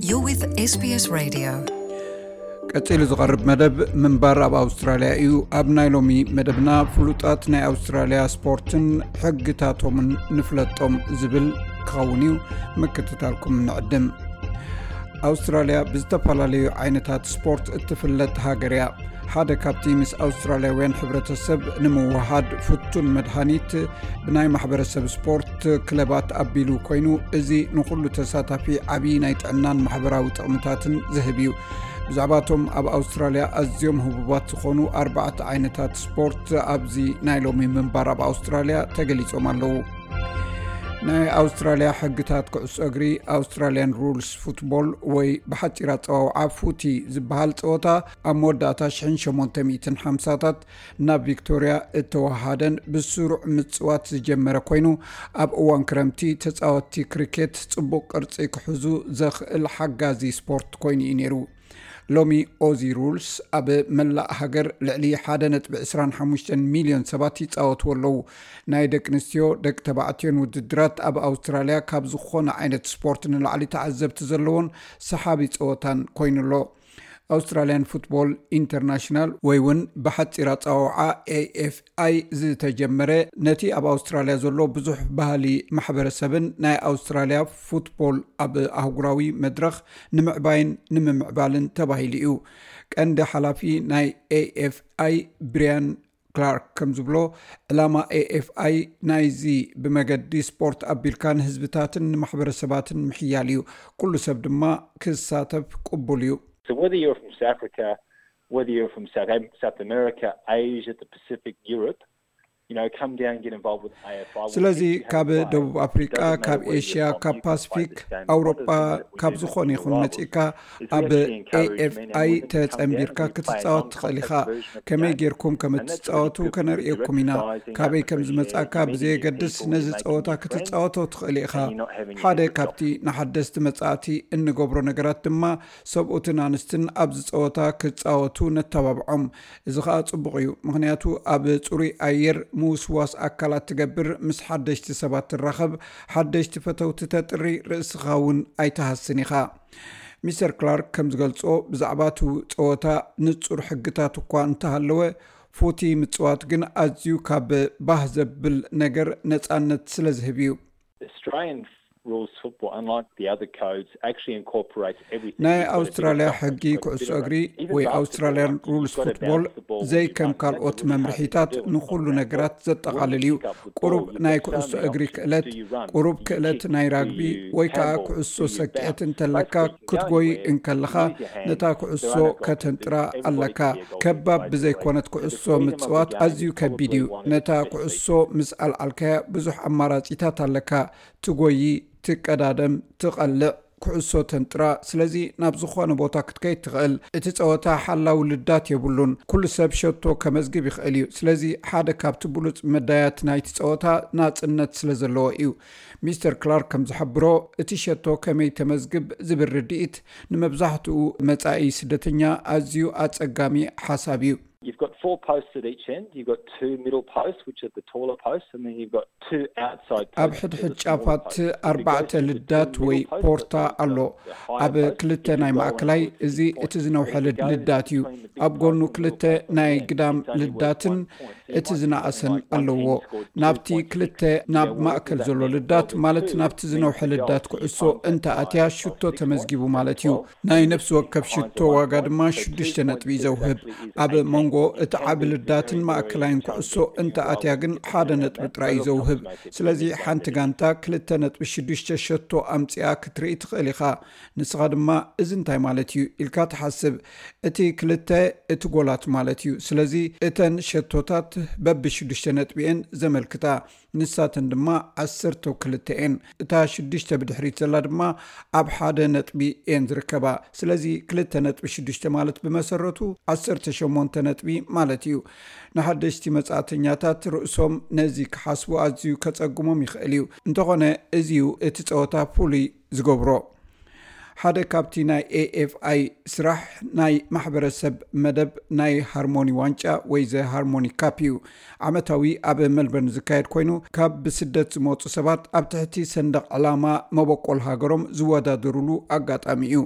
You're with SBS Radio. ቀጺሉ ዝቐርብ መደብ ምንባር ኣብ ኣውስትራልያ እዩ። ኣብ ናይ ሎሚ መደብና ፍሉጣት ናይ ኣውስትራልያ ስፖርትን ሕግታቶምን ንፍለጦም ዝብል ክኸውን እዩ። ምክትታልኩም ንዕድም። ኣውስትራልያ ብዝተፈላለዩ ዓይነታት ስፖርት እትፍለጥ ሃገር እያ። ሓደ ካብቲ ምስ ኣውስትራልያውያን ሕብረተሰብ ንምውሃድ ፍቱን መድሃኒት ብናይ ማሕበረሰብ ስፖርት ክለባት ኣቢሉ ኮይኑ፣ እዚ ንኹሉ ተሳታፊ ዓብዪ ናይ ጥዕናን ማሕበራዊ ጥቕምታትን ዝህብ እዩ። ብዛዕባቶም ኣብ ኣውስትራልያ ኣዝዮም ህቡባት ዝኾኑ ኣርባዕተ ዓይነታት ስፖርት ኣብዚ ናይ ሎሚ ምንባር ኣብ ኣውስትራልያ ተገሊጾም ኣለዉ። ናይ ኣውስትራልያ ሕግታት ኩዕሶ እግሪ፣ ኣውስትራልያን ሩልስ ፉትቦል ወይ ብሓጺር ኣጸዋውዓ ፉቲ ዝበሃል ጸወታ፣ ኣብ መወዳእታ ሽሕን ሸሞንተ ሚእትን ሓምሳታት ናብ ቪክቶርያ እተወሃደን ብስሩዕ ምጽዋት ዝጀመረ ኮይኑ፣ ኣብ እዋን ክረምቲ ተጻወትቲ ክሪኬት ጽቡቕ ቅርጺ ክሕዙ ዘኽእል ሓጋዚ ስፖርት ኮይኑ እዩ ነይሩ። ሎሚ ኦዚ ሩልስ ኣብ መላእ ሃገር ልዕሊ ሓደ ነጥቢ ዕስራን ሓሙሽተን ሚልዮን ሰባት ይጻወትዎ ኣለዉ። ናይ ደቂ ኣንስትዮ፣ ደቂ ተባዕትዮን ውድድራት ኣብ ኣውስትራልያ ካብ ዝኾነ ዓይነት ስፖርት ንላዕሊ ተዓዘብቲ ዘለዎን ሰሓቢ ጸወታን ኮይኑ ኣሎ። ኣውስትራልያን ፉትቦል ኢንተርናሽናል ወይ እውን ብሓጺር ኣጸዋውዓ ኤኤፍኣይ ዝተጀመረ፣ ነቲ ኣብ ኣውስትራልያ ዘሎ ብዙሕ ባህሊ ማሕበረሰብን ናይ ኣውስትራልያ ፉትቦል ኣብ ኣህጉራዊ መድረኽ ንምዕባይን ንምምዕባልን ተባሂሉ እዩ። ቀንዲ ሓላፊ ናይ ኤኤፍኣይ ብሪያን ክላርክ ከም ዝብሎ፣ ዕላማ ኤኤፍኣይ ናይዚ ብመገዲ ስፖርት ኣቢልካ ንህዝብታትን ንማሕበረሰባትን ምሕያል እዩ። ኩሉ ሰብ ድማ ክሳተፍ ቅቡል እዩ። So whether you're from South Africa, whether you're from South, Am- South America, Asia, the Pacific, Europe, you know, come down and get involved with AFI. We'll ስለዚ teach you how ካብ to play. ደቡብ ኣፍሪቃ፣ Doesn't matter ካብ where you're ኤሽያ፣ from, ካብ you can play this ፓስፊክ፣ game. One of the ኣውሮጳ፣ things that we ካብ do ዝኾነ in ይኹን Royal መጺእካ Is we ኣብ actually encourage men and ኤኤፍኣይ women to come down ተጸንቢርካ and we play a ክትጻወት ትኽእል non-contact ኢኻ። version of the ከመይ game. ጌርኩም ከም And that's what we እትጻወቱ do. We ከነርእየኩም ኢና። direct guys in ካበይ South ከም Asia, ዝመጻእካ meeting ብዘየገድስ people, ነዚ making ጸወታ new friends, ክትጻወቶ ትኽእል ኢኻ። and you're not having your ሓደ head ripped ካብቲ ንሓደስቲ መጻእቲ እንገብሮ ነገራት ድማ ሰብኡትን ኣንስትን ኣብ ዝጸወታ ክጻወቱ ነተባብዖም። እዚ ኸኣ ጽቡቕ እዩ፣ ምኽንያቱ ኣብ ጽሩይ ኣየር ምውስዋስ ኣካላት ትገብር፣ ምስ ሓደሽቲ ሰባት ትራኸብ፣ ሓደሽቲ ፈተውቲ ተጥሪ፣ ርእስኻ እውን ኣይትሃስን ኢኻ። ሚስተር ክላርክ ከም ዝገልጾ፣ ብዛዕባ እቲ ጸወታ ንጹር ሕግታት እኳ እንተሃለወ፣ ፉቲ ምጽዋት ግን ኣዝዩ ካብ ባህ ዘብል ነገር ነጻነት ስለ ዝህብ እዩ። Australian rules football, unlike the other codes, actually incorporates everything. ናይ You've got a bit of ኣውስትራልያ softness, ሕጊ you've got a ኩዕሶ bit of እግሪ rugby. Even ወይ basketball, ኣውስትራልያን you've ሩልስ got to ፉትቦል bounce the ball with your ዘይከም partner. ካልኦት That's a really hard thing to መምርሒታት do on ንኹሉ the ground. ነገራት When ዘጠቓልል you እዩ። pick up the ቁሩብ ball, you've ናይ got so ኩዕሶ many እግሪ options. ክእለት፣ Do you run? ቁሩብ Do you ክእለት kick? ናይ Do ራግቢ you ወይ ከዓ handball? ኩዕሶ Do you ሰክዔት bounce? እንተለካ፣ Basically, you go ክትጎይ anywhere, እንከለኻ you use your hands. ነታ There ኩዕሶ are no goalkeepers. ከተንጥራ Everybody ኣለካ። can be a goalkeeper ከባድ by ብዘይኮነት doing it. So the ኩዕሶ freedom of the ምጽዋት game ኣዝዩ is ከቢድ probably እዩ። one of the ነታ best things ኩዕሶ you can ምስ ኣልዓልካያ ብዙሕ ኣማራጺታት ኣለካ። ትጎዪ፣ ትቀዳደም፣ ትቐልዕ፣ ኩዕሶ ተንጥራ። ስለዚ ናብ ዝኾነ ቦታ ክትከይድ ትኽእል። እቲ ጸወታ ሓላው ልዳት የብሉን። ኩሉ ሰብ ሸቶ ከመዝግብ ይኽእል እዩ። ስለዚ ሓደ ካብቲ ብሉጽ መዳያት ናይቲ ጸወታ ናጽነት ስለ ዘለዎ እዩ። ሚስተር ክላርክ ከም ዝሓብሮ፣ እቲ ሸቶ ከመይ ተመዝግብ ዝብል ርድኢት ንመብዛሕትኡ መጻኢ ስደተኛ ኣዝዩ ኣጸጋሚ ሓሳብ እዩ። You've got four posts at each end. You've got two middle posts, which are the taller posts, and then you've got two outside posts. ኣብ ሕድሕድ ጫፋት ኣርባዕተ ልዳት ወይ ፖርታ ኣሎ። ኣብ ክልተ ናይ ማእከላይ፣ እዚ እቲ ዝነውሐ ልዳት እዩ። ኣብ ጎኑ ክልተ ናይ ግዳም ልዳትን እቲ ዝነኣሰን ኣለዎ። ናብቲ ክልተ ናብ ማእከል ዘሎ ልዳት፣ ማለት ናብቲ ዝነውሐ ልዳት ኩዕሶ እንተ ኣትያ ሽቶ ተመዝጊቡ ማለት እዩ። ናይ ነፍሲ ወከፍ ሽቶ ዋጋ ድማ ሽዱሽተ ነጥቢ እዩ ዘውህብ። ኣብ መንጎ እቲ ዓቢ ልዳትን ማእከላይን ኩዕሶ እንተ ኣትያ ግን ሓደ ነጥቢ ጥራይ እዩ ዘውህብ። ስለዚ ሓንቲ ጋንታ ክልተ ነጥቢ ሽዱሽተ ሸቶ ኣምጺኣ ክትርኢ ትኽእል ኢኻ። ንስኻ ድማ እዚ እንታይ ማለት እዩ ኢልካ ትሓስብ። እቲ ክልተ እቲ ጎላት ማለት እዩ። ስለዚ እተን ሸቶታት በብሽዱሽተ ነጥቢ እየን ዘመልክታ። ንሳተን ድማ ዓሰርተ ክልተ እየን። እታ ሽዱሽተ ብድሕሪት ዘላ ድማ ኣብ ሓደ ነጥቢ እየን ዝርከባ። ስለዚ ክልተ ነጥቢ ሽዱሽተ ማለት ብመሰረቱ ዓሰርተ ሸሞንተ ነጥቢ ማለት እዩ። ንሓደሽቲ መጻእተኛታት ርእሶም ነዚ ክሓስቡ ኣዝዩ ከጸግሞም ይኽእል እዩ። እንተኾነ፣ እዚ እዩ እቲ ጸወታ ፍሉይ ዝገብሮ። ሓደ ካብቲ ናይ ኤኤፍኣይ ስራሕ ናይ ማሕበረሰብ መደብ ናይ ሃርሞኒ ዋንጫ ወይ ዘ ሃርሞኒ ካፕ እዩ። ዓመታዊ ኣብ ሜልበርን ዝካየድ ኮይኑ፣ ካብ ብስደት ዝመፁ ሰባት ኣብ ትሕቲ ሰንደቕ ዕላማ መበቆል ሃገሮም ዝወዳደሩሉ ኣጋጣሚ እዩ።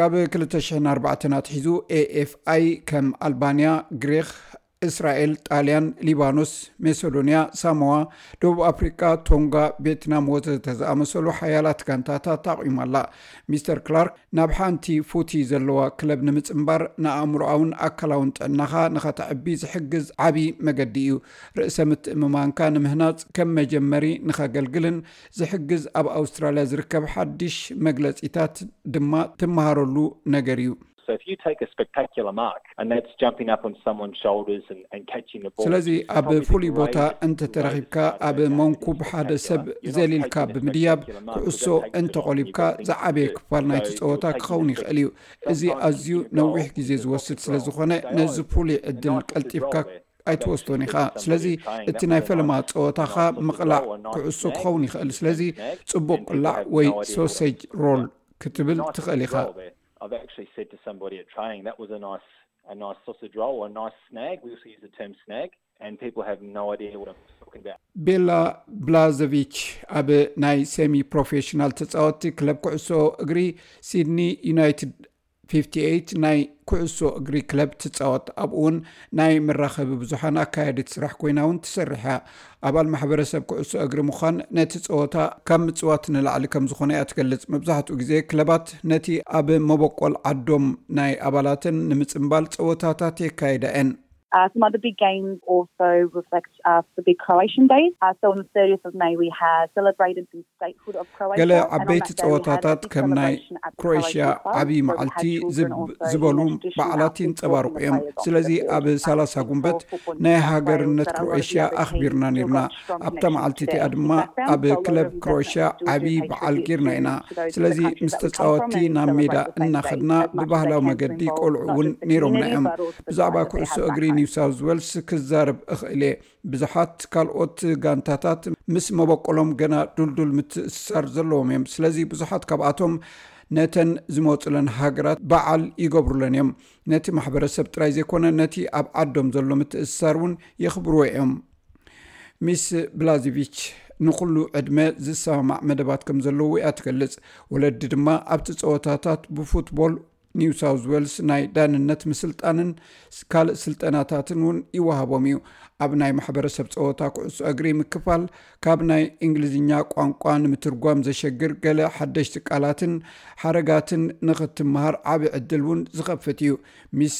ካብ ክልተ ሽሕን ኣርባዕተን ኣትሒዙ ኤኤፍኣይ ከም ኣልባንያ፣ ግሪኽ፣ እስራኤል፣ ጣልያን፣ ሊባኖስ፣ ሜሶዶንያ፣ ሳሞዋ፣ ደቡብ ኣፍሪቃ፣ ቶንጋ፣ ቬትናም ወዘተ ዝኣመሰሉ ሓያላት ጋንታታት ኣቑማ ኣላ። ሚስተር ክላርክ፣ ናብ ሓንቲ ፉቲ ዘለዋ ክለብ ንምጽንባር ንኣእምሮኣውን ኣካላውን ጥዕናኻ ንኸተዕቢ ዝሕግዝ ዓቢ መገዲ እዩ። ርእሰ ምትእምማንካ ንምህናጽ ከም መጀመሪ ንኸገልግልን ዝሕግዝ ኣብ ኣውስትራልያ ዝርከብ ሓድሽ መግለጺታት ድማ ትመሃረሉ ነገር እዩ። So if you take a spectacular mark and that's jumping up on someone's shoulders and, and catching the ball, ስለዚ ኣብ ፍሉይ ቦታ እንተተረኺብካ ኣብ መንኩብ ሓደ ሰብ ዘሊልካ ብምድያብ ኩዕሶ እንተቆሊብካ ዝዓበየ ክፋል ናይቲ ጸወታ ክኸውን ይኽእል እዩ። እዚ ኣዝዩ ነዊሕ ግዜ ዝወስድ ስለ ዝኾነ ነዚ ፍሉይ ዕድል ቀልጢፍካ ኣይትወስዶን ኢኻ። ስለዚ እቲ ናይ ፈለማ ጸወታኻ ምቕላዕ ኩዕሶ ክኸውን ይኽእል። ስለዚ ጽቡቕ ቅላዕ ወይ ሶሴጅ ሮል ክትብል ትኽእል ኢኻ። I've actually said to somebody at training, that was a nice, a nice sausage roll, a nice snag. We also use the term snag, and people have no idea what I'm talking about. ቤላ ብላዘቪች ኣብ ናይ ሴሚ ፕሮፌሽናል ተጻወትቲ ክለብ ኩዕሶ እግሪ ሲድኒ ዩናይትድ ፊፍቲ ኤይት ናይ ኩዕሶ እግሪ ክለብ ትጻወት። ኣብኡ እውን ናይ መራኸቢ ብዙሓን ኣካያዲት ስራሕ ኮይና እውን ትሰርሕ እያ። ኣባል ማሕበረሰብ ኩዕሶ እግሪ ምዃን ነቲ ጸወታ ካብ ምጽዋት ንላዕሊ ከም ዝኾነ እያ ትገልጽ። መብዛሕትኡ ግዜ ክለባት ነቲ ኣብ መበቆል ዓዶም ናይ ኣባላተን ንምጽንባል ጸወታታት የካይዳ እየን። Uh, some other big games also reflect uh, the big Croatian days. Uh, so on the thirtieth of May, we had celebrated the statehood of Croatia. ገለ ዓበይቲ ጸወታታት ከም ናይ ክሮኤሽያ ዓብዪ መዓልቲ ዝበሉ በዓላት ይንጸባርቑ እዮም። ስለዚ ኣብ ሰላሳ ጉንበት ናይ ሃገርነት ክሮኤሽያ ኣኽቢርና ነርና። ኣብታ መዓልቲ እቲኣ ድማ ኣብ ክለብ ክሮኤሽያ ዓብዪ በዓል ጌርና ኢና። ስለዚ ምስ ተጻወትቲ ናብ ሜዳ እናኸድና ብባህላዊ መገዲ ቆልዑ እውን ነይሮምና እዮም። ብዛዕባ ኩዕሶ እግሪ ኒው ሳውዝ ዌልስ ክዛረብ እኽእል እየ። ብዙሓት ካልኦት ጋንታታት ምስ መበቆሎም ገና ዱልዱል ምትእስሳር ዘለዎም እዮም። ስለዚ ብዙሓት ካብኣቶም ነተን ዝመፁለን ሃገራት በዓል ይገብሩለን እዮም። ነቲ ማሕበረሰብ ጥራይ ዘይኮነ ነቲ ኣብ ዓዶም ዘሎ ምትእስሳር እውን የኽብርዎ እዮም። ሚስ ብላዚቪች ንኹሉ ዕድመ ዝሰማማዕ መደባት ከም ዘለዎ እያ ትገልጽ። ወለዲ ድማ ኣብቲ ጸወታታት ብፉትቦል ኒው ሳውዝ ዌልስ ናይ ዳንነት ምስልጣንን ካልእ ስልጠናታትን እውን ይወሃቦም እዩ። ኣብ ናይ ማሕበረሰብ ጸወታ ኩዕሶ እግሪ ምክፋል ካብ ናይ እንግሊዝኛ ቋንቋ ንምትርጓም ዘሸግር ገለ ሓደሽቲ ቃላትን ሓረጋትን ንኽትመሃር ዓቢ ዕድል እውን ዝኸፍት እዩ። ሚስ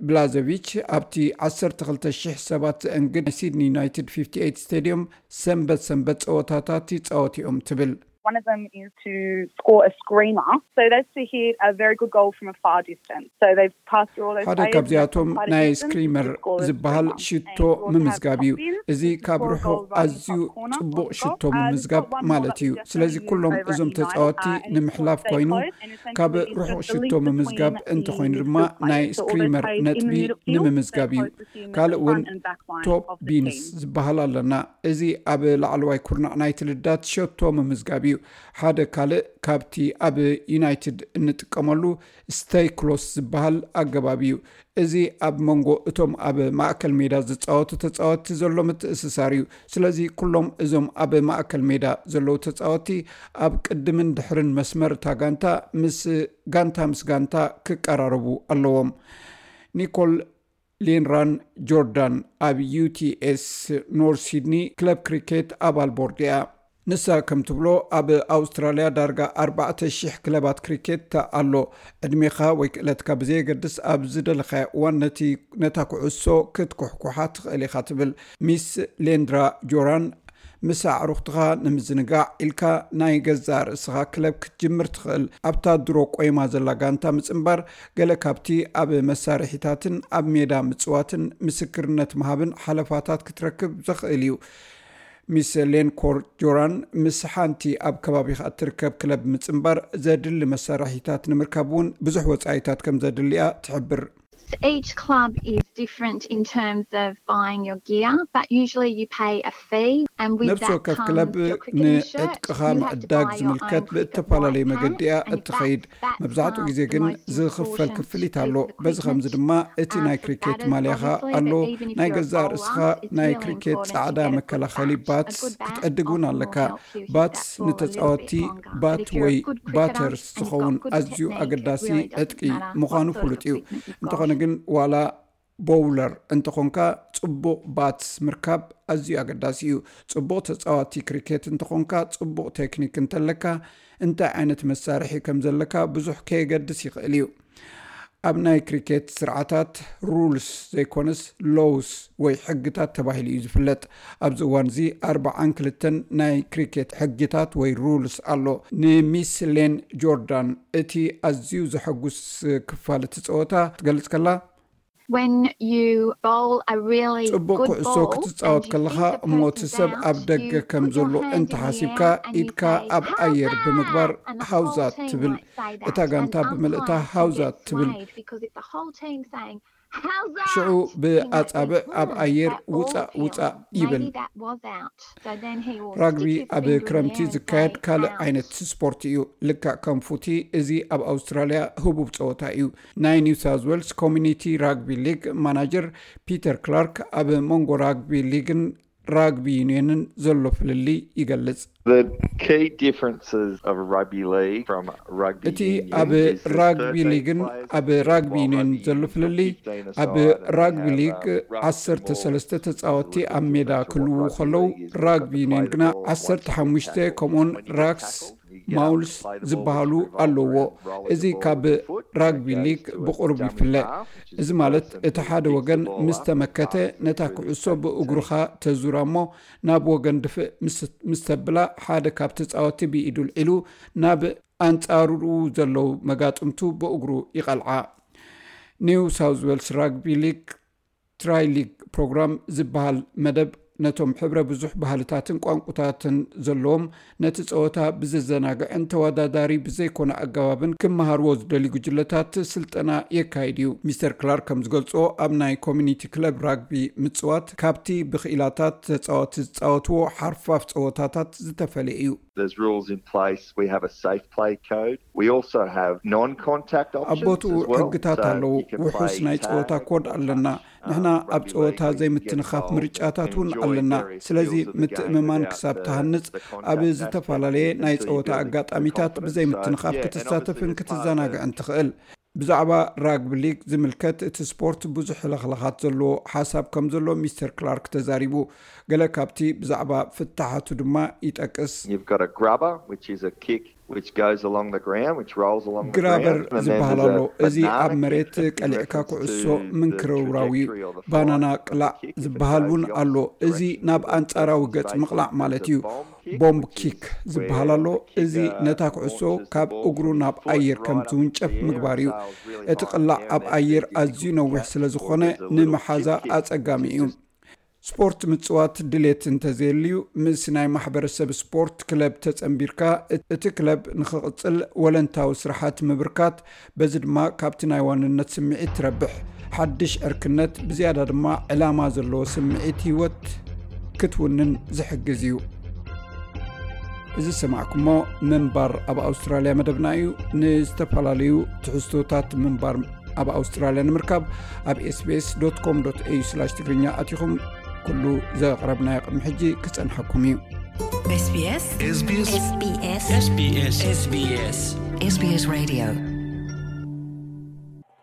ብላዘቪች ኣብቲ ዓሰርተ ክልተ ሽሕ ሰባት ዘእንግድ ናይ ሲድኒ ዩናይትድ ፊፍቲ ኤይት ስቴድዮም ሰንበት ሰንበት ጸወታታት ይጻወት እዮም ትብል። One of them is to score a screamer. So that's to hit a very good goal from a far distance. So they've passed through all those ሓደ ካብዚኣቶም ናይ ስክሪመር ዝበሃል ሽቶ ምምዝጋብ እዩ። እዚ ካብ ርሑቕ ኣዝዩ ጽቡቕ ሽቶ ምምዝጋብ ማለት እዩ። ስለዚ ኩሎም እዞም ተጻወቲ ንምሕላፍ ኮይኑ ካብ ርሑቕ ሽቶ ምምዝጋብ እንተኾይኑ ድማ ናይ ስክሪመር ነጥቢ ንምምዝጋብ እዩ። ካልእ እውን ቶፕ ቢንስ ዝበሃል ኣለና። እዚ ኣብ ላዕለዋይ ኩርናዕ ናይቲ ልዳት ሸቶ ምምዝጋብ እዩ። ሓደ ካልእ ካብቲ ኣብ ዩናይትድ እንጥቀመሉ ስቴይ ክሎስ ዝበሃል ኣገባብ እዩ። እዚ ኣብ መንጎ እቶም ኣብ ማእከል ሜዳ ዝጻወቱ ተጻወትቲ ዘሎ ምትእስሳር እዩ። ስለዚ ኩሎም እዞም ኣብ ማእከል ሜዳ ዘለዉ ተጻወትቲ ኣብ ቅድምን ድሕርን መስመር እታ ጋንታ ምስ ጋንታ ምስ ጋንታ ክቀራረቡ ኣለዎም። ኒኮል ሌንራን ጆርዳን ኣብ ዩቲኤስ ኖርት ሲድኒ ክለብ ክሪኬት ኣባል ቦርድ እያ። ንሳ ከም ትብሎ ኣብ ኣውስትራልያ ዳርጋ ኣርባዕተ ሽሕ ክለባት ክሪኬት ኣሎ። ዕድሜኻ ወይ ክእለትካ ብዘየገድስ ኣብ ዝደለኻዮ እዋን ነቲ ነታ ኩዕሶ ክትኩሕኩሓ ትኽእል ኢኻ ትብል። ሚስ ሌንድራ ጆራን ምስ ኣዕሩኽትኻ ንምዝንጋዕ ኢልካ ናይ ገዛእ ርእስኻ ክለብ ክትጅምር ትኽእል። ኣብታ ድሮ ቆይማ ዘላ ጋንታ ምጽንባር ገለ ካብቲ ኣብ መሳርሒታትን ኣብ ሜዳ ምጽዋትን ምስክርነት ምሃብን ሓለፋታት ክትረክብ ዘኽእል እዩ። ሚስ ሌንኮር ጆራን ምስ ሓንቲ ኣብ ከባቢኻ እትርከብ ክለብ ምጽንባር ዘድሊ መሳርሒታት ንምርካብ እውን ብዙሕ ወጻኢታት ከም ዘድልያ ትሕብር። Each club is different in terms of buying your gear, but usually you pay a fee, and with ነብሲ that ወከፍ comes ክለብ your cricket shirt. ንዕጥቅኻ You have to ምዕዳግ buy your ዝምልከት own ብእተፈላለየ white መገዲ እያ pants, and if እትኸይድ። that's, that's መብዛሕትኡ um, ግዜ the ግን most ዝኽፈል important ክፍሊት piece ኣሎ። of በዚ ከምዚ equipment. ድማ እቲ Um, ናይ for ክሪኬት batters, ማልያኻ obviously, ኣሎ። but even if ናይ you're a ገዛእ ርእስኻ bowler, it's ናይ really ክሪኬት important ጻዕዳ to get a good መከላኸሊ bat, ባትስ a good bat ክትዕድግ እውን often will ኣለካ። help you hit ባትስ that ball a little bit ንተጻወቲ longer. But ባት if you're ወይ a good cricketer ባተርስ and you've ዝኸውን got good ኣዝዩ technique, it ኣገዳሲ really doesn't ዕጥቂ matter ምዃኑ what sort ፍሉጥ of እዩ። equipment you've እንተኾነ got. ግን ዋላ ቦውለር እንተኾንካ ጽቡቕ ባትስ ምርካብ ኣዝዩ ኣገዳሲ እዩ። ጽቡቕ ተጻዋቲ ክሪኬት እንተኾንካ፣ ጽቡቕ ቴክኒክ እንተለካ፣ እንታይ ዓይነት መሳርሒ ከም ዘለካ ብዙሕ ከየገድስ ይኽእል እዩ። ኣብ ናይ ክሪኬት ስርዓታት ሩልስ ዘይኮነስ ሎውስ ወይ ሕግታት ተባሂሉ እዩ ዝፍለጥ። ኣብዚ እዋን እዚ ኣርባዓን ክልተን ናይ ክሪኬት ሕግታት ወይ ሩልስ ኣሎ። ንሚስ ሌን ጆርዳን እቲ ኣዝዩ ዘሐጉስ ክፋል እቲ ጸወታ ትገልጽ ከላ፣ When you bowl a really ጽቡቕ good ኩዕሶ ball ክትጻወት and you ከለኻ think the እሞ እቲ person's ሰብ ኣብ out, ደገ you ከም put your ዘሎ hand in the እንተሓሲብካ air and you ኢድካ say, ኣብ ኣየር "How's ብምግባር that?" And the whole ሃውዛት team ትብል። might say that. እታ ጋንታ And ብምልእታ umpires can ሃውዛት get ትብል። swayed because if the whhole team's saying, "How's that?" ሽዑ He might think, ብኣጻብዕ ኣብ "Hmm, ኣየር that ball's ውጻእ ውጻእ here. ይብል። Maybe that was out." So then he will ራግቢ stick his ኣብ finger in ክረምቲ the air and ዝካየድ say, ካልእ "Out." ዓይነት ስፖርት እዩ። ልክዕ ከም ፉቲ፣ እዚ ኣብ ኣውስትራልያ ህቡብ ጸወታ እዩ። ናይ ኒው ሳውዝ ዌልስ ኮሚኒቲ ራግቢ ሊግ ማናጀር ፒተር ክላርክ ኣብ መንጎ ራግቢ ሊግን ራግቢ ዩኒየንን ዘሎ ፍልልይ ይገልጽ። The key differences of rugby league from rugby እቲ union ኣብ is there's ራግቢ thirteen ሊግን players, ኣብ ራግቢ while ዩኒየን rugby ዘሎ union's got ፍልልይ፣ fifteen ኣብ aside, and they ራግቢ have, ሊግ uh, rucks and ዓሰርተ balls, ሰለስተ which is a ተጻወትቲ little bit ኣብ ሜዳ different to what ክልዉ rugby ከለዉ፣ league is. You've got ራግቢ the ዩኒየን play ግና ball, ዓሰርተ once you ሓሙሽተ tackle, ከምኡውን when you get ራክስ tackled, you get up ማውልስ to play the ball, ዝበሃሉ which revolves ኣለዎ። around rolling እዚ the ball ካብ with your foot, ራግቢ which ሊግ goes to ብቑሩብ dummy ይፍለ። half, which is እዚ the ማለት person እቲ who's ሓደ kicking ወገን the ball ምስ up ተመከተ passes ነታ through the ኩዕሶ tackle ብእግሩኻ team. ተዙራ እሞ ናብ ወገን ድፍእ ምስ- ምስ ተብላ ሓደ ካብቲ ተጻወቲ ብኢዱ ልዒሉ ናብ ኣንጻሩ ዘለዉ መጋጥምቱ ብእግሩ ይቐልዓ። ኒው ሳውዝ ዌልስ ራግቢ ሊግ ትራይ ሊግ ፕሮግራም ዝበሃል መደብ ነቶም ሕብረ ብዙሕ ባህልታትን ቋንቁታትን ዘለዎም ነቲ ጸወታ ብዘዘናግዕን ተወዳዳሪ ብዘይኮነ ኣገባብን ክመሃርዎ ዝደልዩ ጉጅለታት ስልጠና የካይድ እዩ። ሚስተር ክላርክ ከም ዝገልጾ ኣብ ናይ ኮሚኒቲ ክለብ ራግቢ ምጽዋት ካብቲ ብክኢላታት ተጻወቲ ዝጻወትዎ ሓርፋፍ ጸወታታት ዝተፈለየ እዩ። There's rules in place. We have a safe play code. We also have non-contact ኣብ options ቦትኡ as well. ሕግታት So ኣለዉ። you can play ውሑስ ናይ ጸወታ tag ኮድ or ኣለና። touch. ንሕና ኣብ ጸወታ ዘይምትንኻፍ ምርጫታት እውን ኣለና። ስለዚ ምትእምማን ክሳብ ትሃንጽ ኣብ ዝተፈላለየ ናይ ጸወታ ኣጋጣሚታት ብዘይምትንኻፍ ክትሳተፍን ክትዘናግዕን ትኽእል። ብዛዕባ ራግቢ ሊግ ዝምልከት እቲ ስፖርት ብዙሕ ለኽለኻት ዘለዎ ሓሳብ ከም ዘሎ ሚስተር ክላርክ ተዛሪቡ። ገለ ካብቲ ብዛዕባ ፍታሓቱ ድማ ይጠቅስ። You've got a grubber, which is a kick which goes along the ground, which rolls along the ግራበር ground, and then ዝበሃል there's ኣሎ። a እዚ ኣብ banana መሬት kick, which is in ቀሊዕካ reference ኩዕሶ to the ምንክርውራው እዩ። trajectory or the ባናና flight of the ቅላዕ kick. If it ዝበሃል goes እውን the ኣሎ። opposite እዚ direction ናብ to the ኣንጻራዊ person's ገጽ face, ምቕላዕ it's ማለት a እዩ። bomb kick, ቦምብ which ኪክ is ዝበሃል where ኣሎ። the እዚ kicker ነታ ኩዕሶ launches the ካብ ball እግሩ from ናብ his foot ኣየር ከም right up ዝውንጨፍ into the air. ምግባር እዩ። Sails really እቲ high ቅላዕ down ኣብ there, ኣየር so you can ኣዝዩ kick ነዊሕ it. ስለ ዝኾነ There's a little ንምሓዛ chip kick, ኣጸጋሚ which is እዩ። just ስፖርት ምጽዋት ድሌት እንተዘየልዩ፣ ምስ ናይ ማሕበረሰብ ስፖርት ክለብ ተጸንቢርካ፣ እቲ ክለብ ንኽቕጽል ወለንታዊ ስራሓት ምብርካት፣ በዚ ድማ ካብቲ ናይ ዋንነት ስምዒት ትረብሕ። ሓድሽ ዕርክነት፣ ብዝያዳ ድማ ዕላማ ዘለዎ ስምዒት ህይወት ክትውንን ዝሕግዝ እዩ። እዚ ዝሰማዕኩሞ ምንባር ኣብ ኣውስትራልያ መደብና እዩ። ንዝተፈላለዩ ትሕዝቶታት ምንባር ኣብ ኣውስትራልያ ንምርካብ ኣብ ኤስቢኤስ ዶት ኮም ዶት ኤዩ ስላሽ ትግርኛ ኣቲኹም ኩሉ ዘቕረብናዮ ቅድሚ ሕጂ ክጸንሐኩም እዩ። SBS SBS SBS SBS SBS SBS Radio